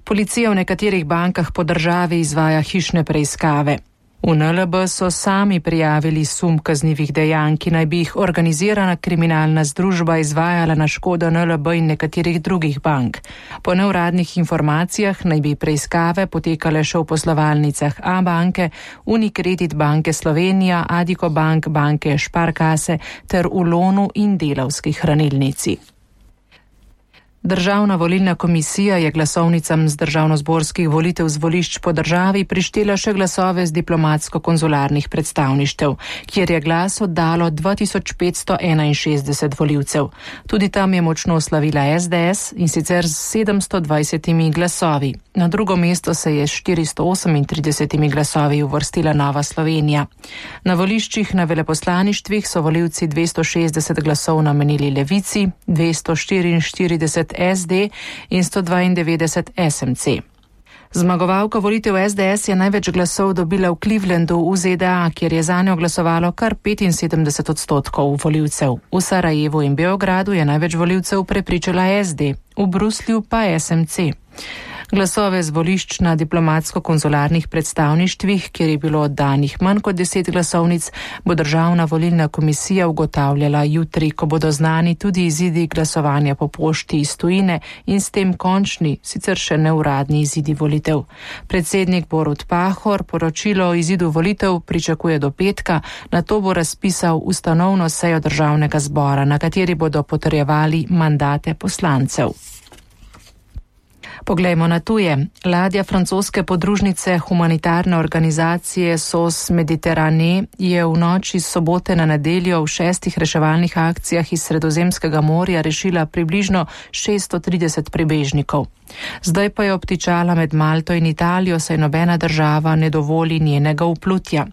Policija v nekaterih bankah po državi izvaja hišne preiskave. V NLB so sami prijavili sum kaznivih dejanj, ki naj bi jih organizirana kriminalna združba izvajala na škodo NLB in nekaterih drugih bank. Po neuradnih informacijah naj bi preiskave potekale še v poslovalnicah A-banke, Unicredit banke Slovenija, Addiko bank, banke Sparkasse ter v Lonu in Delavski hranilnici. Državna volilna komisija je glasovnicam z državnozborskih volitev z volišč po državi prištela še glasove z diplomatsko-konzularnih predstavništev, kjer je glas oddalo 2561 volivcev. Tudi tam je močno slavila SDS in sicer z 720 glasovi. Na drugo mesto se je s 438 glasovi uvrstila Nova Slovenija. Na voliščih na veleposlaništvih so volivci 260 glasov namenili Levici, 244 SD in 192 SMC. Zmagovalka volitev SDS je največ glasov dobila v Clevelandu v ZDA, kjer je zanjo glasovalo kar 75% volivcev. V Sarajevu in Beogradu je največ volivcev prepričala SD, v Bruslju pa SMC. Glasove z volišč na diplomatsko-konzularnih predstavništvih, kjer je bilo oddanih manj kot 10 glasovnic, bo državna volilna komisija ugotavljala jutri, ko bodo znani tudi izidi glasovanja po pošti iz tujine in s tem končni, sicer še neuradni izidi volitev. Predsednik Borut Pahor poročilo o izidu volitev pričakuje do petka, nato bo razpisal ustanovno sejo državnega zbora, na kateri bodo potrjevali mandate poslancev. Poglejmo na tuje. Ladja francoske podružnice humanitarne organizacije SOS Mediterrane je v noči s sobote na nedeljo v 6 reševalnih akcijah iz Sredozemskega morja rešila približno 630 prebežnikov. Zdaj pa je obtičala med Malto in Italijo, saj nobena država ne dovoli njenega vplutja.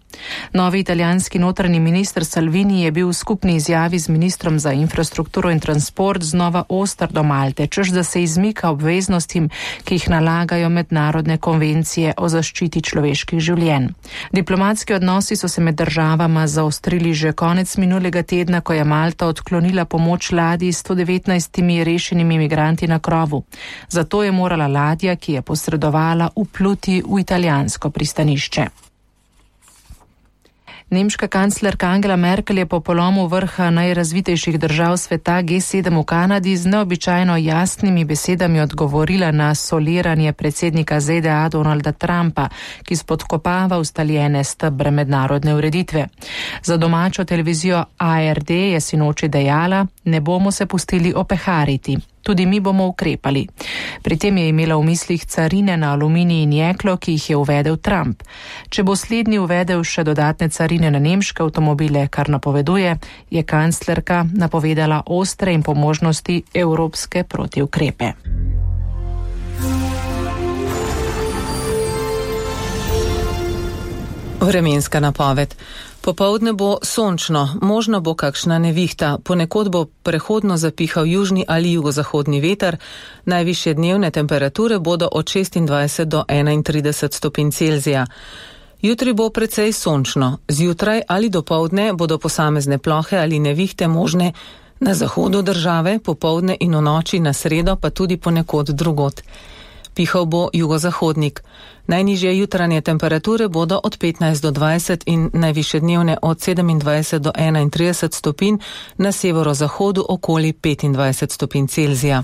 Novi italijanski notranji minister Salvini je bil v skupni izjavi z ministrom za infrastrukturo in transport znova oster do Malte, češ da se izmika obveznostim, ki jih nalagajo mednarodne konvencije o zaščiti človeških življenj. Diplomatski odnosi so se med državama zaostrili že konec minulega tedna, ko je Malta odklonila pomoč ladji s 119 rešenimi migranti na krovu. Zato je morala ladja, ki je posredovala, vpluti v italijansko pristanišče. Nemška kanclerka Angela Merkel je po polomu vrha najrazvitejših držav sveta G7 v Kanadi z neobičajno jasnimi besedami odgovorila na soliranje predsednika ZDA Donalda Trumpa, ki spodkopava ustaljene stebre mednarodne ureditve. Za domačo televizijo ARD je sinoči dejala: "Ne bomo se pustili opehariti. Tudi mi bomo ukrepali." Pri tem je imela v mislih carine na aluminij in jeklo, ki jih je uvedel Trump. Če bo slednji uvedel še dodatne carine na nemške avtomobile, kar napoveduje, je kanclerka napovedala ostre in po možnosti evropske protiukrepe. Vremenska napoved. Popoldne bo sončno, možno bo kakšna nevihta, ponekod bo prehodno zapihal južni ali jugozahodni veter, najvišje dnevne temperature bodo od 26 do 31 stopinj Celzija. Jutri bo precej sončno, zjutraj ali dopoldne bodo posamezne plohe ali nevihte možne na zahodu države, popoldne in v noči na sredo pa tudi ponekod drugod. Pihal bo jugozahodnik. Najnižje jutranje temperature bodo od 15 do 20 in najvišje dnevne od 27 do 31 stopinj, na severozahodu okoli 25 stopinj Celzija.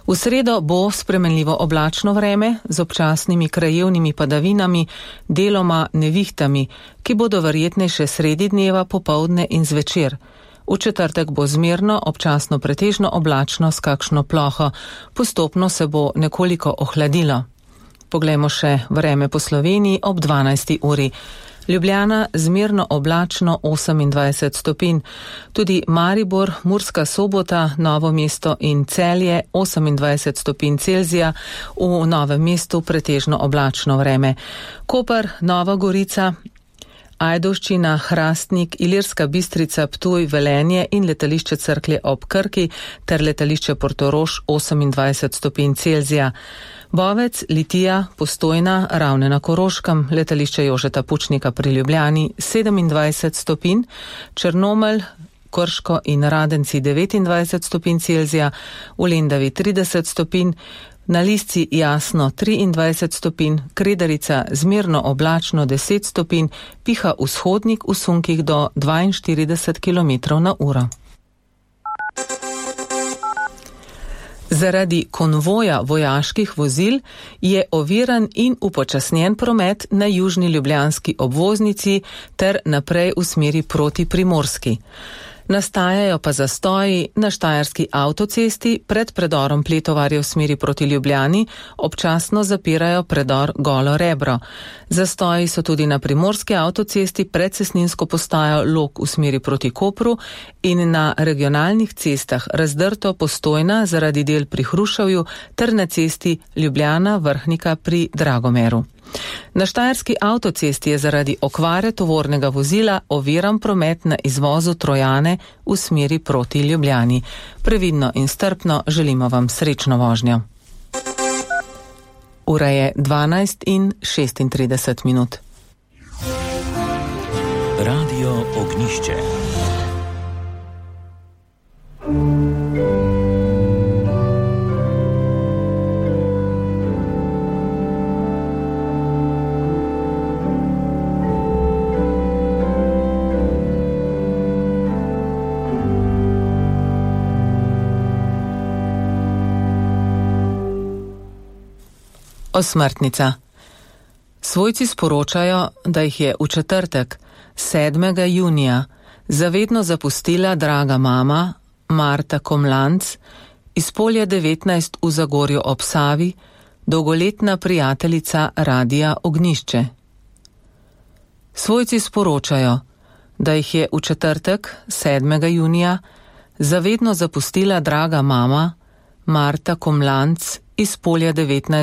V sredo bo spremenljivo oblačno vreme z občasnimi krajevnimi padavinami, deloma nevihtami, ki bodo verjetnejše sredi dneva, popoldne in zvečer. V četrtek bo zmerno, občasno pretežno oblačno s kakšno ploho. Postopno se bo nekoliko ohladilo. Poglejmo še vreme po Sloveniji ob 12. uri. Ljubljana zmerno oblačno 28 stopinj. Tudi Maribor, Murska Sobota, Novo mesto in Celje 28 stopinj Celzija, v Novem mestu pretežno oblačno vreme. Koper, Nova Gorica, Ajdovščina, Hrastnik, Ilirska Bistrica, Ptuj, Velenje in letališče Cerklje ob Krki ter letališče Portorož 28 stopinj Celzija. Bovec, Litija, Postojna, Ravne na Koroškem, letališče Jožeta Pučnika pri Ljubljani 27 stopinj, Črnomelj, Krško in Radenci 29 stopinj Celzija, v Lendavi 30 stopinj, Na Lisci jasno 23 stopinj, Kredarica zmerno oblačno 10 stopinj, piha vzhodnik v sunkih do 42 km/h. Zaradi konvoja vojaških vozil je oviran in upočasnjen promet na južni ljubljanski obvoznici ter naprej v smeri proti Primorski. Nastajajo pa zastoji na štajerski avtocesti pred predorom Pletovarje v smeri proti Ljubljani, občasno zapirajo predor Golo Rebro. Zastoji so tudi na primorski avtocesti pred cestninsko postajo Log v smeri proti Kopru in na regionalnih cestah Razdrto Postojna zaradi del pri Hruševju ter na cesti Ljubljana Vrhnika pri Dragomeru. Na štajerski avtocesti je zaradi okvare tovornega vozila oviran promet na izvozu Trojane v smeri proti Ljubljani. Previdno in strpno želimo vam srečno vožnjo. Ura je 12:36. Radio Ognišče. Osmrtnica. Svojci sporočajo, da jih je v četrtek, 7. junija, zavedno zapustila draga mama Marta Komlanc iz Polja 19 v Zagorju ob Savi, dolgoletna prijateljica Radia Ognišče. Svojci sporočajo, da jih je v četrtek, 7. junija, zavedno zapustila draga mama Marta Komlanc iz Polja 19